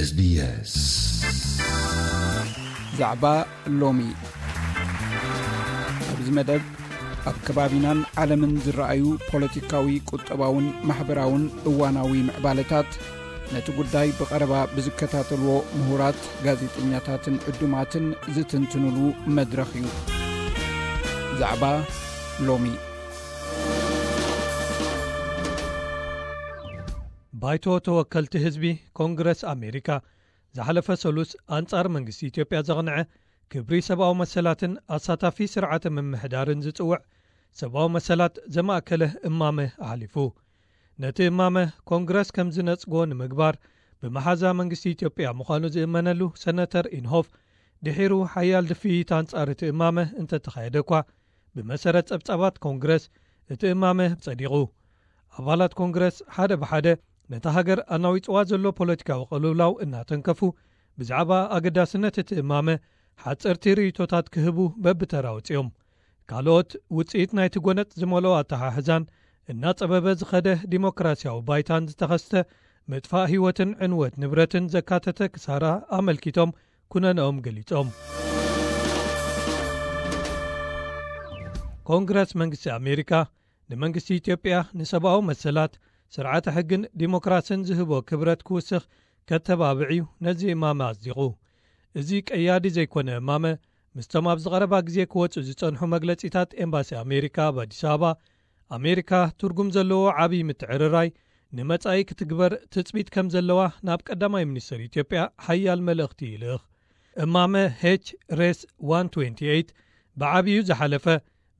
SBS ዛዕባ ሎሚ። ኣብዚ መደብ ኣብ ከባቢናን ዓለምን ዝረኣዩ ፖለቲካዊ፣ ቁጠባውን ማሕበራውን እዋናዊ ምዕባለታት፣ ነቲ ጉዳይ ብቐረባ ብዝከታተልዎ ምሁራት፣ ጋዜጠኛታትን ዕዱማትን ዝትንትኑሉ መድረኽ እዩ። ዛዕባ ሎሚ። ባይቶ ተወከልቲ ህዝቢ ኮንግረስ ኣሜሪካ ዝሓለፈ ሰሉስ ኣንጻር መንግስቲ ኢትዮጵያ ዘቕንዐ፣ ክብሪ ሰብኣዊ መሰላትን ኣሳታፊ ስርዓተ ምምሕዳርን ዝጽውዕ፣ ሰብኣዊ መሰላት ዘማእከለ እማመ ኣሕሊፉ። ነቲ እማመ ኮንግረስ ከም ዝነጽጎ ንምግባር፣ ብመሓዛ መንግስቲ ኢትዮጵያ ምዃኑ ዝእመነሉ ሰነተር ኢንሆፍ፣ ድሒሩ ሓያል ድፍኢት ኣንጻር እቲ እማመ እንተተኻየደ እኳ፣ ብመሰረት ጸብጻባት ኮንግረስ እቲ እማመ ጸዲቑ። ኣባላት ኮንግረስ ሓደ ብሓደ ነታ ሃገር ኣናዊጽዋ ዘሎ ፖለቲካዊ ቅልውላው እናተንከፉ፣ ብዛዕባ ኣገዳስነት እቲ እማመ ሓጸርቲ ርእይቶታት ክህቡ በብተራ ወጺኦም። ካልኦት ውጽኢት ናይቲ ጎነጽ ዝመልኦ ኣተሓሕዛን እናጸበበ ዝኸደ ዲሞክራሲያዊ ባይታን ዝተኸስተ ምጥፋእ ህይወትን ዕንወት ንብረትን ዘካተተ ክሳራ ኣመልኪቶም ኩነነኦም ገሊጾም። ኮንግረስ መንግስቲ ኣሜሪካ ንመንግስቲ ኢትዮጵያ ንሰብኣዊ መሰላት፣ ስርዓተ ሕግን ዲሞክራስን ዝህቦ ክብረት ክውስኽ ከተባብዕ እዩ ነዚ እማመ ኣጽዲቑ። እዚ ቀያዲ ዘይኮነ እማመ፣ ምስቶም ኣብዚ ቀረባ ግዜ ክወጹ ዝጸንሑ መግለጺታት ኤምባሲ ኣሜሪካ ኣብ ኣዲስ ኣበባ፣ ኣሜሪካ ትርጉም ዘለዎ ዓብዪ ምትዕርራይ ንመጻኢ ክትግበር ትጽቢት ከም ዘለዋ ናብ ቀዳማይ ሚኒስትር ኢትዮጵያ ሓያል መልእኽቲ ይልእኽ። እማመ ኤች ሬስ ዋን ትዌንቲ ኤይት ብዓብዩ ዝሓለፈ፣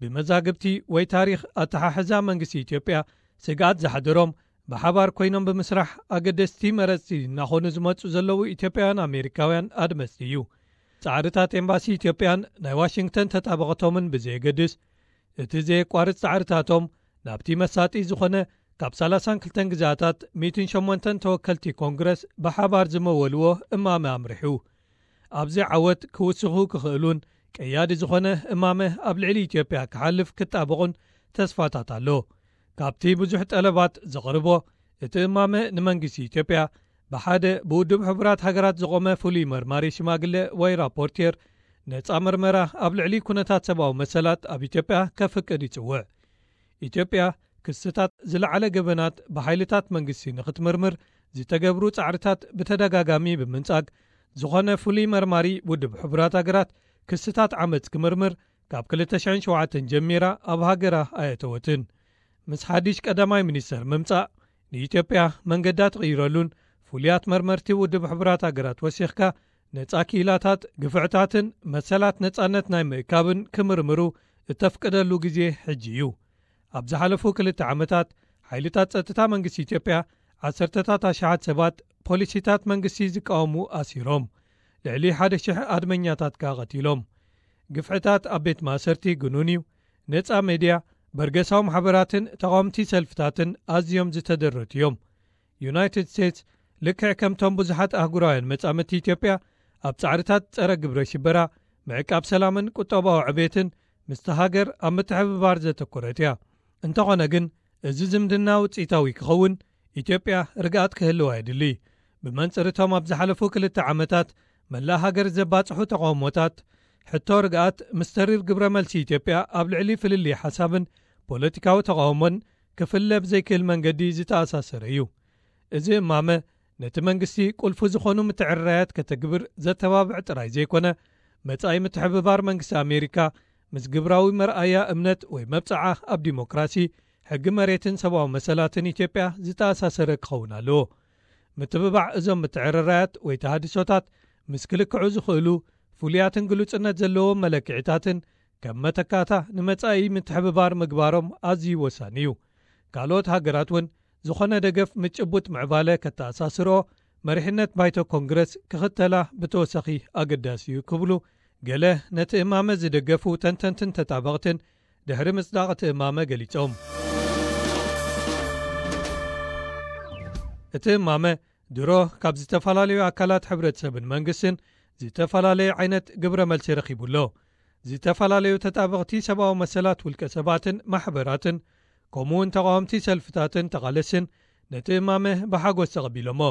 ብመዛግብቲ ወይ ታሪኽ ኣተሓሕዛ መንግስቲ ኢትዮጵያ ስግኣት ዘሕደሮም፣ ብሓባር ኮይኖም ብምስራሕ ኣገደስቲ መረጽቲ እናኾኑ ዝመጹ ዘለዉ ኢትዮጵያውያን ኣሜሪካውያን ኣድመጽቲ እዩ። ጻዕርታት ኤምባሲ ኢትዮጵያን ናይ ዋሽንግተን ተጣበቕቶምን ብዘየገድስ፣ እቲ ዘየቋርጽ ጻዕርታቶም ናብቲ መሳጢ ዝኾነ፣ ካብ ሰላሳን ክልተን ግዝኣታት ሚእትን ሸሞንተን ተወከልቲ ኮንግረስ ብሓባር ዝመወልዎ እማመ ኣምሪሑ። ኣብዚ ዓወት ክውስኹ ክኽእሉን ቀያዲ ዝኾነ እማመ ኣብ ልዕሊ ኢትዮጵያ ክሓልፍ ክጣበቑን ተስፋታት ኣሎ። ካብቲ ብዙሕ ጠለባት ዘቕርቦ፣ እቲ እማመ ንመንግስቲ ኢትዮጵያ ብሓደ ብውድብ ሕቡራት ሃገራት ዝቖመ ፍሉይ መርማሪ ሽማግለ ወይ ራፖርቴር ነጻ መርመራ ኣብ ልዕሊ ኩነታት ሰብኣዊ መሰላት ኣብ ኢትዮጵያ ከፍቅድ ይጽውዕ። ኢትዮጵያ ክስታት ዝለዓለ ገበናት ብሓይልታት መንግስቲ ንኽትምርምር ዝተገብሩ ጻዕርታት ብተደጋጋሚ ብምንጻግ፣ ዝኾነ ፍሉይ መርማሪ ውድብ ሕቡራት ሃገራት ክስታት ዓመጽ ክምርምር ካብ ክልተ ሽሕን ሸውዓተን ጀሚራ ኣብ ሃገራ ኣየተወትን። ምስ ሓድሽ ቀዳማይ ሚኒስተር ምምጻእ፣ ንኢትዮጵያ መንገዳ ትቕይረሉን ፍሉያት መርመርቲ ውድብ ሕቡራት ሃገራት ወሲኽካ፣ ነጻ ክኢላታት፣ ግፍዕታትን መሰላት ነጻነት ናይ ምእካብን ክምርምሩ እተፍቅደሉ ግዜ ሕጂ እዩ። ኣብ ዝሓለፉ ክልተ ዓመታት፣ ሓይልታት ጸጥታ መንግስቲ ኢትዮጵያ ዓሰርተታት ኣሽሓት ሰባት ፖሊሲታት መንግስቲ ዝቃወሙ ኣሲሮም፣ ልዕሊ ሓደ ሽሕ ኣድመኛታት ከኣ ቀቲሎም። ግፍዕታት ኣብ ቤት ማእሰርቲ ግኑን እዩ። ነጻ ሜድያ፣ በርገሳዊ ማሕበራትን ተቓወምቲ ሰልፍታትን ኣዝዮም ዝተደረቱ እዮም። ዩናይትድ ስቴትስ፣ ልክዕ ከምቶም ብዙሓት ኣህጉራውያን መጻምድቲ ኢትዮጵያ፣ ኣብ ጻዕርታት ጸረ ግብረ ሽበራ፣ ምዕቃብ ሰላምን ቁጠባዊ ዕቤትን ምስቲ ሃገር ኣብ ምትሕብባር ዘተኮረት እያ። እንተኾነ ግን፣ እዚ ዝምድና ውጽኢታዊ ክኸውን፣ ኢትዮጵያ ርግኣት ክህልዋ የድሊ። ብመንጽር እቶም ኣብ ዝሓለፉ ክልተ ዓመታት መላእ ሃገር ዘባጽሑ ተቓውሞታት፣ ሕቶ ርግኣት ምስ ተሪር ግብረ መልሲ ኢትዮጵያ ኣብ ልዕሊ ፍልልይ ሓሳብን ፖለቲካዊ ተቓውሞን ክፍለ ብዘይክእል መንገዲ ዝተኣሳሰረ እዩ። እዚ እማመ፣ ነቲ መንግስቲ ቁልፊ ዝኾኑ ምትዕርራያት ከተግብር ዘተባብዕ ጥራይ ዘይኮነ፣ መጻኢ ምትሕብባር መንግስቲ ኣሜሪካ ምስ ግብራዊ መርኣያ እምነት ወይ መብጽዓ ኣብ ዲሞክራሲ፣ ሕጊ መሬትን ሰብኣዊ መሰላትን ኢትዮጵያ ዝተኣሳሰረ ክኸውን ኣለዎ። ምትብባዕ እዞም ምትዕርራያት ወይ ተሃድሶታት ምስ ክልክዑ ዝኽእሉ ፍሉያትን ግሉጽነት ዘለዎም መለክዒታትን ከም መተካእታ ንመጻኢ ምትሕብባር ምግባሮም ኣዝዩ ወሳኒ እዩ። ካልኦት ሃገራት እውን ዝኾነ ደገፍ ምስ ጭቡጥ ምዕባለ ከተኣሳስርኦ መሪሕነት ባይቶ ኮንግረስ ክኽተላ ብተወሳኺ ኣገዳሲ እዩ ክብሉ ገለ ነቲ እማመ ዝደገፉ ተንተንትን ተጣበቕትን ድሕሪ ምጽዳቕ እቲ እማመ ገሊጾም። እቲ እማመ ድሮ ካብ ዝተፈላለዩ ኣካላት ሕብረተሰብን መንግስትን ዝተፈላለየ ዓይነት ግብረ መልሲ ረኺቡ ኣሎ። ዝተፈላለዩ ተጣበቕቲ ሰብኣዊ መሰላት ውልቀ ሰባትን ማሕበራትን፣ ከምኡ እውን ተቓወምቲ ሰልፍታትን ተቓለስን ነቲ እማመ ብሓጎስ ተቐቢሎሞ።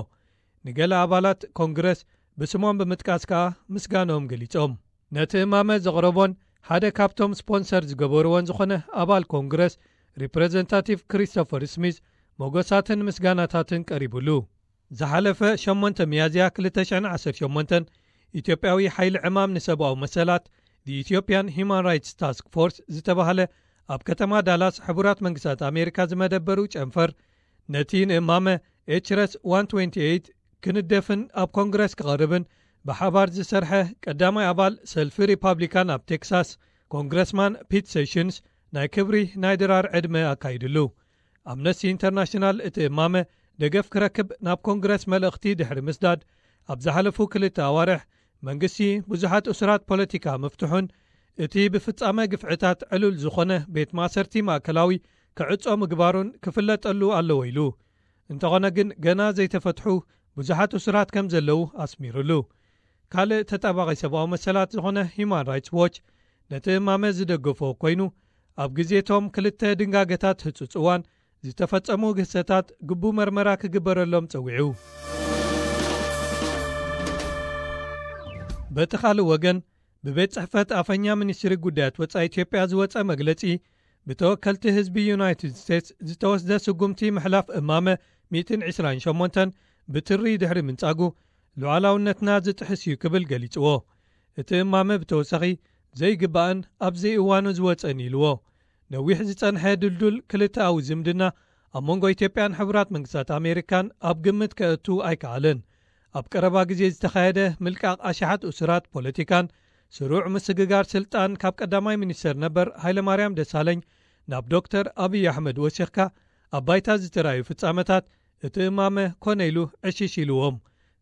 ንገለ ኣባላት ኮንግረስ ብስሞም ብምጥቃስ ከኣ ምስጋኖም ገሊጾም። ነቲ እማመ ዘቕረቦን ሓደ ካብቶም ስፖንሰር ዝገበርዎን ዝኾነ ኣባል ኮንግረስ ሪፕሬዘንታቲቭ ክሪስቶፈር ስሚዝ ሞገሳትን ምስጋናታትን ቀሪቡሉ። ዝሓለፈ ሸሞንተ ሚያዝያ ክልተ ሽሕን ዓሰርተ ሸሞንተን ኢትዮጵያዊ ሓይሊ ዕማም ንሰብኣዊ መሰላት፣ The Ethiopian Human Rights Task Force ዝተባህለ ኣብ ከተማ ዳላስ ሕቡራት መንግስታት ኣሜሪካ ዝመደበሩ ጨንፈር፣ ነቲ ንእማመ ኤችረስ ዋን ትዌንቲ ኤይት ክንደፍን ኣብ ኮንግረስ ክቐርብን ብሓባር ዝሰርሐ ቀዳማይ ኣባል ሰልፊ ሪፓብሊካን ኣብ ቴክሳስ ኮንግረስማን ፒት ሴሽንስ ናይ ክብሪ ናይ ድራር ዕድመ ኣካይድሉ። ኣምነስቲ ኢንተርናሽናል እቲ እማመ ደገፍ ክረክብ ናብ ኮንግረስ መልእኽቲ ድሕሪ ምስዳድ፣ ኣብ ዝሓለፉ ክልተ ኣዋርሕ መንግስቲ ብዙሓት እሱራት ፖለቲካ ምፍትሑን እቲ ብፍጻመ ግፍዕታት ዕሉል ዝኾነ ቤት ማእሰርቲ ማእከላዊ ክዕጾ ምግባሩን ክፍለጠሉ ኣለዎ ኢሉ። እንተኾነ ግን ገና ዘይተፈትሑ ብዙሓት እሱራት ከም ዘለዉ ኣስሚሩሉ። ካልእ ተጣባቒ ሰብኣዊ መሰላት ዝኾነ ሂዩማን ራይትስ ዎች ነቲ እማመ ዝደገፎ ኮይኑ፣ ኣብ ግዜቶም ክልተ ድንጋገታት ህጹጽ እዋን ዝተፈጸሙ ግህሰታት ግቡ መርመራ ክግበረሎም ጸዊዑ። በቲ ካልእ ወገን፣ ብቤት ጽሕፈት ኣፈኛ ሚኒስትሪ ጉዳያት ወጻኢ ኢትዮጵያ ዝወጸ መግለጺ፣ ብተወከልቲ ህዝቢ ዩናይትድ ስቴትስ ዝተወስደ ስጉምቲ ምሕላፍ እማመ ሚእትን ዕስራን ሸሞንተን ብትሪ ድሕሪ ምንጻጉ፣ ሉዓላውነትና ዝጥሕስ እዩ ክብል ገሊጽዎ። እቲ እማመ ብተወሳኺ ዘይግባእን ኣብ ዘይእዋኑ ዝወጸን ኢልዎ። ነዊሕ ዝጸንሐ ድልዱል ክልተኣዊ ዝምድና ኣብ መንጎ ኢትዮጵያን ሕቡራት መንግስታት ኣሜሪካን ኣብ ግምት ከእቱ ኣይከኣለን። ኣብ ቀረባ ግዜ ዝተኻየደ ምልቃቕ ኣሽሓት እሱራት ፖለቲካን ስሩዕ ምስግጋር ስልጣን ካብ ቀዳማይ ሚኒስተር ነበር ሃይለማርያም ደሳለኝ ናብ ዶክተር ኣብይ ኣሕመድ ወሲኽካ ኣብ ባይታ ዝተራእዩ ፍጻመታት እቲ እማመ ኮነ ኢሉ ዕሽሽ ኢልዎም።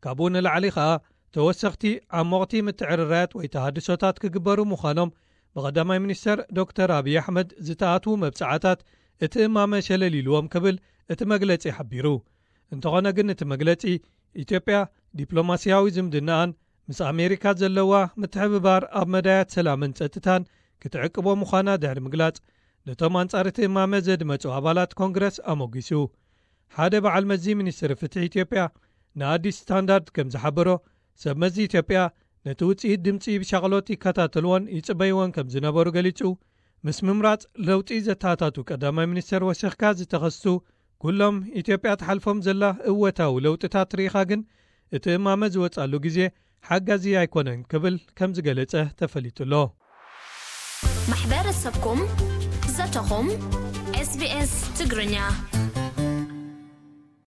ካብኡ ንላዕሊ ከኣ ተወሰኽቲ ዓሞቕቲ ምትዕርራያት ወይ ተሃድሶታት ክግበሩ ምዃኖም ብቐዳማይ ሚኒስተር ዶክተር ኣብይ ኣሕመድ ዝተኣትዉ መብጽዓታት እቲ እማመ ሸለል ኢልዎም ክብል እቲ መግለጺ ሓቢሩ። እንተኾነ ግን እቲ መግለጺ ኢትዮጵያ ዲፕሎማስያዊ ዝምድናኣን ምስ ኣሜሪካ ዘለዋ ምትሕብባር ኣብ መዳያት ሰላምን ጸጥታን ክትዕቅቦ ምዃና ድሕሪ ምግላጽ፣ ነቶም ኣንጻር እቲ እማመ ዘድመጹ ኣባላት ኮንግረስ ኣሞጊሱ። ሓደ በዓል መዚ ሚኒስትሪ ፍትሒ ኢትዮጵያ ንኣዲስ ስታንዳርድ ከም ዝሓበሮ፣ ሰብ መዚ ኢትዮጵያ ነቲ ውጽኢት ድምጺ ብሻቕሎት ይከታተልዎን ይጽበይዎን ከም ዝነበሩ ገሊጹ፣ ምስ ምምራጽ ለውጢ ዘተኣታቱ ቀዳማይ ሚኒስተር ወሲኽካ ዝተኸስቱ ኩሎም ኢትዮጵያ ትሓልፎም ዘላ እወታዊ ለውጥታት ርኢኻ ግን እቲ እማመ ዝወጻሉ ግዜ ሓጋዚ ኣይኮነን ክብል ከም ዝገለጸ ተፈሊጡ ኣሎ። ማሕበረሰብኩም ዘተኹም ኤስቢኤስ ትግርኛ